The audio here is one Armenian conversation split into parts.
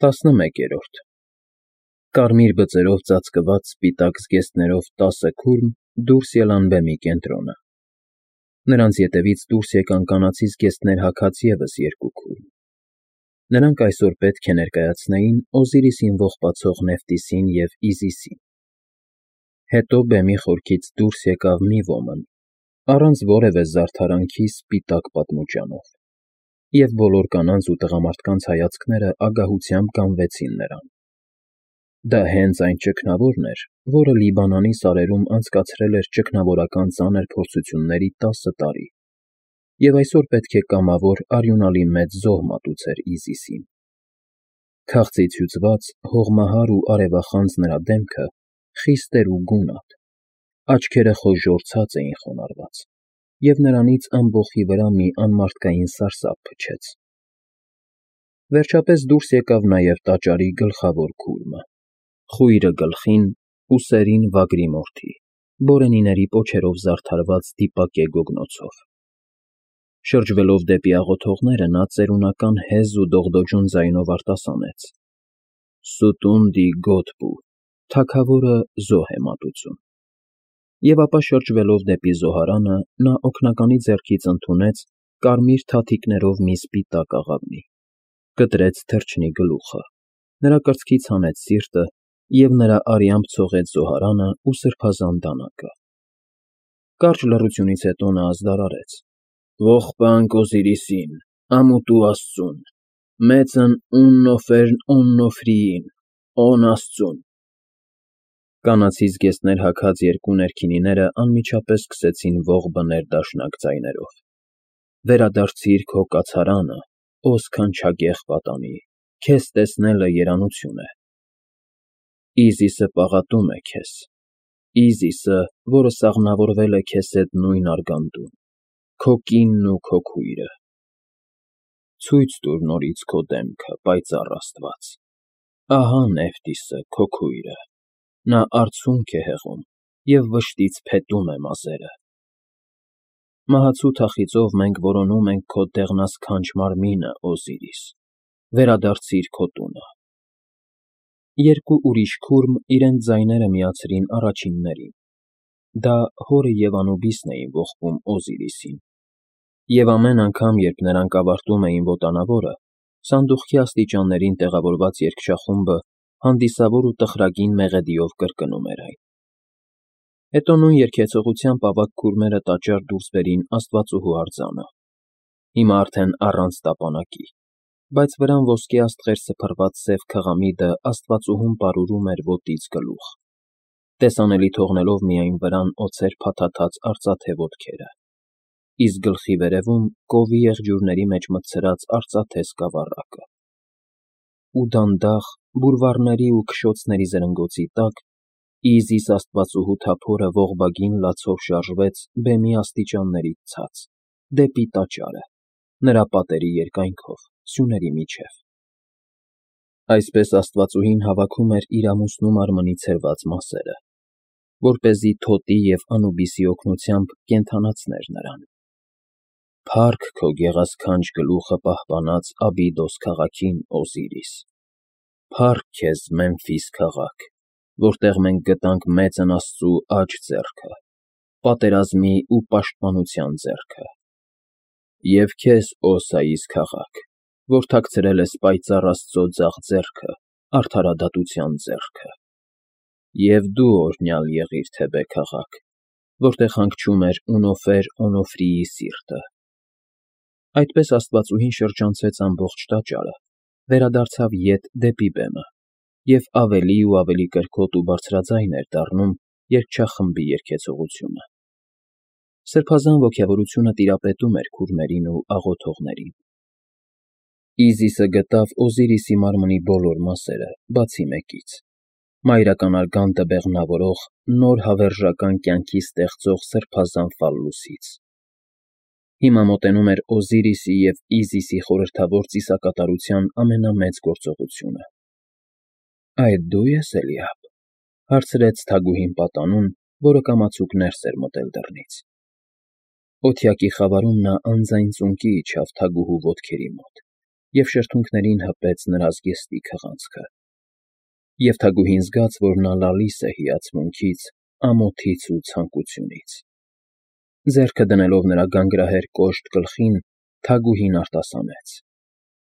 11-րդ Կարմիր բծերով ծածկված սպիտակ զգեստներով 10 քուրմ դուրս ելան բեմի կենտրոնը։ Նրանց ետևից դուրս եկան կանացի զգեստներ հագած ևս 2 քուրմ։ Նրանք այսօր պետք է ներկայացնեին Օզիրիսին ողբացող Նեֆթիսին և Իզիսին։ Հետո բեմի խորքից դուրս եկավ մի ոմն, առանց որևէ զարդարանքի սպիտակ պատմուճանով, և բոլոր կանանց ու տղամարդկանց հայացքները ագահությամբ գանվեցին նրան։ Դա հենց այն ճգնավորն էր, որը Լիբանանի սարերում անցկացրել էր ճգնավորական ծանր փորձությունների 10 տարի, և այսօր պետք է կամավոր արյունալի մեծ զոհ մատուցեր Իզիսին։ Քաղցից հյուծված, հողմահար ու արևախանձ նրա դեմքը խիստ էր ու գունատ, աչքերը խոժոռ ցած էին խոնարհված, և նրանից ամբոխի վրա մի անմարդկային սարսափ փչեց։ Վերջապես դուրս եկավ նաև տաճարի գլխավոր քուրմը, խույրը գլխին, ուսերին վագրի մորթի, բորենիների պոչերով զարդարված դիպակե գոգնոցով։ Շրջվելով դեպի աղոթողները, նա ծերունական հեզ ու դողդոջուն ձայնով արտասանեց. «Սուտունդի Գոդբու, թագավորը զոհ է մատուցում»։ Եվ ապա շրջվելով դեպի զոհարանը, նա օգնականի ձեռքից ընդունեց կարմիր թաթիկներով մի սպիտակ աղավնի, կտրեց թռչնի գլուխը, նրա կրծքից հանեց սիրտը և նրա արյամբ ցողեց զոհարանը ու սրբազան դանակը։ Կարճ լռությունից հետո նա ազդարարեց. «Ողբանք Օզիրիսին, ամուտու աստծուն, մեծն Ուննոֆերն Օննոֆրիին, Օն աստծուն»։ Կանացի զգեստներ հագած 2 ներքինիները անմիջապես սկսեցին ողբ բներ դաշնակ ձայներով. «Վերադարձիր քո կացարանը, օ սքանչագեղ պատանի, քեզ տեսնելը երանություն է։ Իզիսը պաղատում է քեզ, Իզիսը, որը սաղմնավորվել է քեզ հետ նույն արգանդուն, քո կինն ու քո քույրը։ Ցույց տուր նորից քո դեմքը, պայծառ Աստված։ Ահա Նեֆթիսը, քո քույրը, նա արցունք է հեղում և վշտից փետում է մազերը։ Մահացու թախիծով մենք որոնում ենք քո դեղնասքանչ մարմինը, Օզիրիս, վերադարձիր քո տունը»։ 2 ուրիշ քուրմ իրենց ձայները միացրին առաջիններին. դա հորը և Անուբիսն էին ողբում Օզիրիսին, և ամեն անգամ, երբ նրանք ավարտում էին ոտանավորը, սանդուղքի աստիճաններին տեղավորված երգչախումբը հանդիսավոր ու տխրագին մեղեդիով կրկնում էր այն։ Հետո նույն երգեցողությամբ ավագ քուրմերը տաճար դուրս բերին Աստվածուհու արձանը, հիմա արդեն առանց տապանակի, բայց վրան ոսկե աստղեր սփռված սև քղամիդը Աստվածուհուն պարուրում էր ոտից գլուխ, տեսանելի թողնելով միայն վրան օձեր փաթաթած արծաթե ոտքերը, իսկ գլխի վերևում կովի եղջյուրների մեջ մտցրած արծաթե սկավառակը։ Ու դանդաղ, բուրվառների ու քշոցների զրնգոցի տակ, Իզիս Աստվածուհու թափորը ողբագին լացով շարժվեց բեմի աստիճաններից ցած, դեպի տաճարը, նրա պատերի երկայնքով, սյուների միջև։ Այսպես Աստվածուհին հավաքում էր իր ամուսնու մարմնի ցրված մասերը, որպեսզի Թոտի և Անուբիսի օգնությամբ կենդանացներ նրան։ Փառք քո գեղասքանչ գլուխը պահպանած Աբիդոս քաղաքին, Օզիրիս։ Փառք քեզ, Մեմֆիս քաղաք, որտեղ մենք գտանք մեծն Աստծու աջ ձեռքը, պատերազմի ու պաշտպանության ձեռքը։ Եվ քեզ, Օսայիս քաղաք, որ թաքցրել ես պայծառ Աստծո ձախ ձեռքը, արդարադատության ձեռքը։ Եվ դու օրհնյալ եղիր, Թեբե քաղաք, որտեղ հանգչում էր Ունոֆեր Օնոֆրիի սիրտը։ Այդպես Աստվածուհին շրջանցեց ամբողջ տաճարը, վերադարձավ ետ դեպի բեմը և ավելի ու ավելի կրքոտ ու բարձրաձայն էր դառնում երգչախմբի երգեցողությունը։ Սրբազան ոգևորությունը տիրապետում էր քուրմերին ու աղոթողներին։ Իզիսը գտավ Օզիրիսի մարմնի բոլոր մասերը, բացի մեկից՝ մայրական արգանդը բեղմնավորող, նոր հավերժական կյանքի ստեղծող սրբազան ֆալլուսից։ Հիմա մոտենում էր Օզիրիսի և Իզիսի խորհրդավոր ծիսակատարության ամենամեծ գործողությունը։ Այդ դու ես, Էլիաբ, հարցրեց թագուհին պատանուն, որը կամացուկ ներս էր մտել դռնից։ Օթյակի խավարում նա անձայն ծունկի իջավ թագուհու ոտքերի մոտ և շրթունքներին հպեց նրա զգեստի քղանցքը։ Եվ Թագուհին զգաց, որ նա լալիս է հիացմունքից, ամոթից ու ցանկությունից։ Ձեռքը դնելով նրա գանգրահեր կոշտ գլխին, Թագուհին արտասանեց.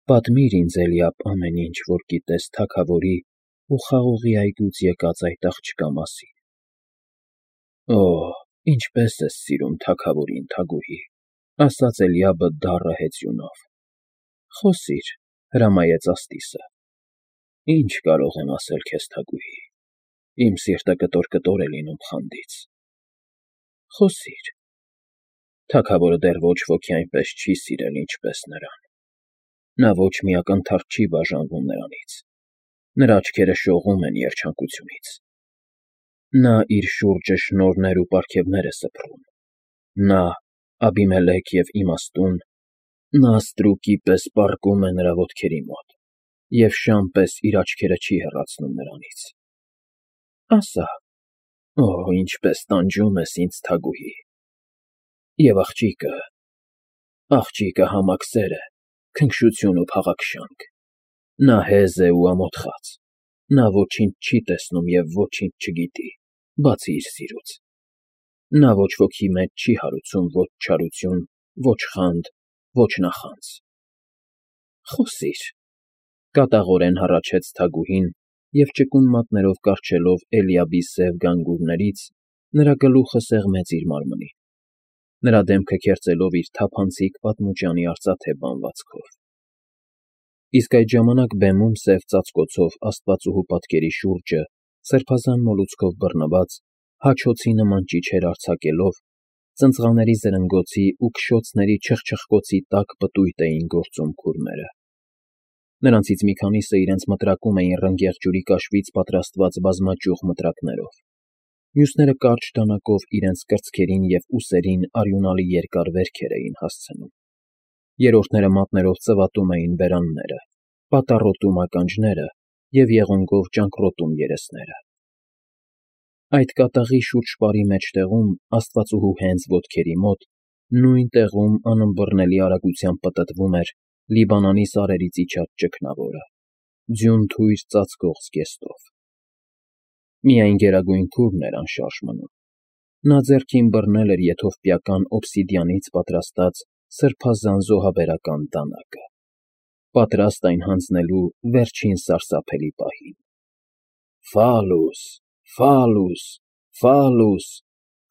«Պատմիր ինձ, Էլիաբ, ամեն ինչ, որ գիտես թագավորի ու խաղողի այգուց եկած այդ աղջկա մասին»։ «Օ՜, ինչպես ես սիրում թագավորին, Թագուհի», ասաց Էլիաբը դառը հեծյունով։ «Խոսիր», հրամայեց Աստիսը։ «Ինչ կարող եմ ասել քեզ, Թագուհի, իմ սիրտը կտոր-կտոր է լինում խանդից»։ «Խոսիր»։ «Թագավորը դեռ ոչ ոքի այնպես չի սիրել, ինչպես նրան։ Նա ոչ մի ակնթարթ չի բաժանվում նրանից, նրա աչքերը շողում են երջանկությունից։ Նա իր շուրջը շնորհներ ու պարգևներ է սփռում։ Նա, Աբիմելեք և իմաստուն, նա ստրուկի պես պառկում է նրա ոտքերի մոտ և շան պես իր աչքերը չի հեռացնում նրանից։ Ասա, օ, ինչպես տանջում ես ինձ, Թագուհի։ Եվ աղջիկը համակսեր է, քնքշություն ու փաղաքշանք։ Նա հեզ է ու ամոթխած, նա ոչինչ չի տեսնում և ոչինչ չգիտի, բացի իր սիրուց։ Նա ոչ ոքի մեջ չի հարուցում ոչ չարություն, ոչ խանդ, ոչ նախանձ»։ «Խոսիր», կատաղորեն հառաչեց Թագուհին և ճկուն մատներով կառչելով Էլիաբի սև գանգուրներից, նրա գլուխը սեղմեց իր մարմնին, նրա դեմքը քերծելով իր թափանցիկ պատմուճանի արծաթե բանվածքով։ Իսկ այդ ժամանակ բեմում սև ծածկոցով աստվածուհու պատկերի շուրջը, սրբազան մոլուցքով բռնված, հաչոցի նման ճիչեր արձակելով, ծնծղաների զրնգոցի ու քշոցների չխչխկոցի տակ պտույտ էին գործում քուրմերը։ Նրանցից մի քանիսը իրենց մտրակում էին ռնգեղ ջուրի կաշվից պատրաստված բազմաճյուղ մտրակներով, մյուսները կարճ դանակով իրենց կրծքերին և ուսերին արյունալի երկար վերքեր էին հասցնում։ Երրորդները մատներով ծվատում էին բերանները, պատառոտում ականջները և եղունգով ճանկռոտում երեսները։ Այդ կատաղի շուրջպարի մեջտեղում, աստվածուհու հենց ոտքերի մոտ, նույն տեղում անըմբռնելի արագությամբ պտտվում էր Լիբանանի սարերից իջած ճգնավորը, ձյուն թույր ծածկող զգեստով։ Միայն Գերագույն Քուրմն էր անշարժ մնում։ Նա ձեռքին բռնել էր եթովպիական օբսիդիանից պատրաստած սրբազան զոհաբերական դանակը, պատրաստ այն հանձնելու վերջին սարսափելի պահին։ «Ֆալուս, Ֆալուս, Ֆալուս»,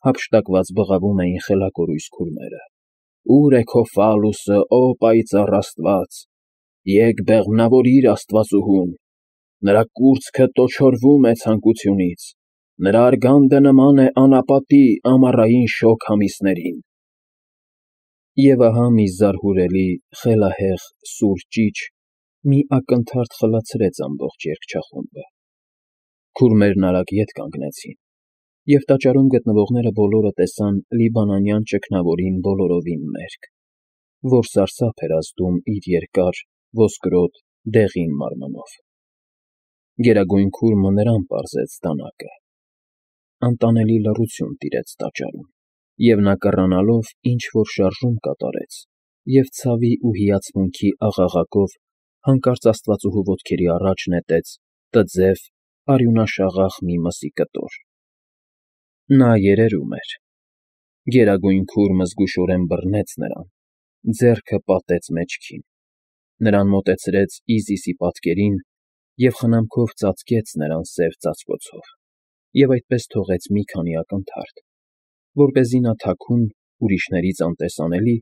հափշտակված բղավում էին խելակորույս քուրմերը։ «Ո՞ւր է քո Ֆալուսը, ո պայծառ Աստված։ Եկ բեղմնավորիր աստվածուհուն։ Նրա կուրծքը տոչորվում է ցանկությունից, նրա արգանդը նման է անապատի ամառային շոգ ամիսներին»։ Եվ ահա մի զարհուրելի, խելահեղ, սուր ճիչ մի ակնթարթ խլացրեց ամբողջ երգչախումբը։ Քուրմերն արագ ետ կանգնեցին, և տաճարում գտնվողները բոլորը տեսան լիբանանյան ճգնավորին բոլորովին մերկ, որ սարսափ էր ազդում իր երկար, ոսկրոտ, դեղին մարմնով։ Գերագույն Քուրմը նրան պարզեց դանակը։ Անտանելի լռություն տիրեց տաճարում, և նա կռանալով ինչ-որ շարժում կատարեց և ցավի ու հիացմունքի աղաղակով հանկարծ աստվածուհու ոտքերի առաջ նետեց տձև, արյունաշաղախ մի մսի կտոր։ Նա երերում էր։ Գերագույն Քուրմը զգուշորեն բռնեց նրան, ձեռքը պատեց մեջքին, նրան մոտեցրեց Իզիսի պատկերին և խնամքով ծածկեց նրան սև ծածկոցով և այդպես թողեց մի քանի ակնթարթ, որպեսզի նա թաքուն, ուրիշներից անտեսանելի,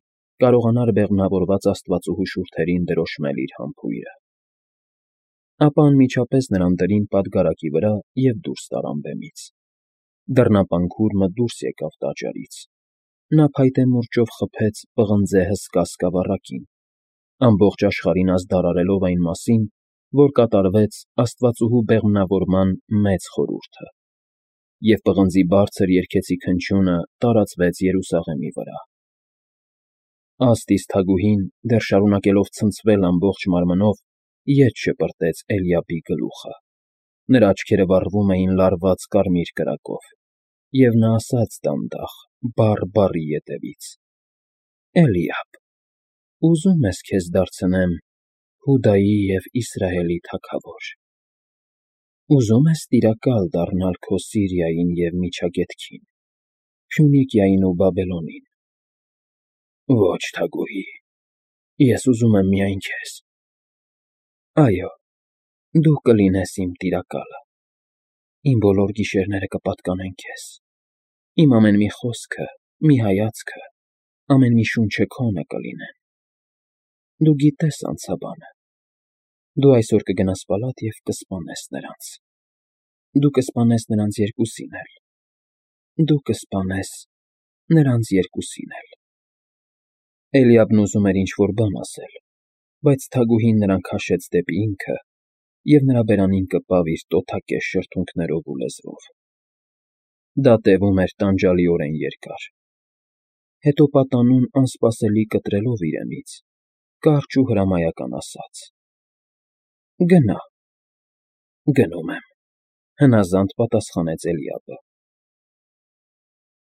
կարողանար բեղմնավորված աստվածուհու շուրթերին դրոշմել իր համբույրը։ Ապա անմիջապես նրան դրին պատգարակի վրա և դուրս տարան բեմից։ Դռնապան Քուրմը դուրս եկավ տաճարից։ Նա փայտե մուրճով խփեց պղնձե հսկա սկավառակին, ամբողջ աշխարհին ազդարարելով այն մասին, որ կատարվեց աստվածուհու բեղմնավորման մեծ խորհուրդը, և պղնձի բարձր երգեցիկ հնչյունը տարածվեց Երուսաղեմի վրա։ Աստիս Թագուհին, դեռ շարունակելով ցնցվել ամբողջ մարմնով, ետ շպրտեց Էլիաբի գլուխը։ Նրա աչքերը վառվում էին լարված կարմիր կրակով, և նա ասաց դանդաղ, բառ բառի ետևից. «Էլիաբ, ուզո՞ւմ ես քեզ դարձնեմ Հուդայի և Իսրայելի թագավոր, ուզում ես տիրակալ դառնալ քո Սիրիային և Միջագետքին, Փյունիկիային ու Բաբելոնին։ Ոչ, թագուհի, ես ուզում եմ միայն քեզ։ Այո, դու կլինես իմ տիրակալը, իմ բոլոր գիշերները կպատկանեն քեզ, իմ ամեն մի խոսքը, մի հայացքը, ամեն մի շունչը քոնը կլինեն։ Դու գիտես անցաբանը։ Դու այսօր կգնաս պալատ և կսպանես նրանց։ Դու կսպանես նրանց երկուսին էլ։ Դու կսպանես նրանց երկուսին էլ։ Էլիաբն ուզում էր ինչ-որ բան ասել, բայց թագուհին նրան քաշեց դեպի ինքը և նրա բերանին կպավ իր տոթակեզ շրթունքներով ու լեզվով։ Դա տևում էր տանջալիորեն երկար։ Հետո պատանուն անսպասելի կտրելով իրենից, կարճ ու հրամայական ասաց. «Գնա»։ «Գնում եմ», հնազանդ պատասխանեց Էլիաբը։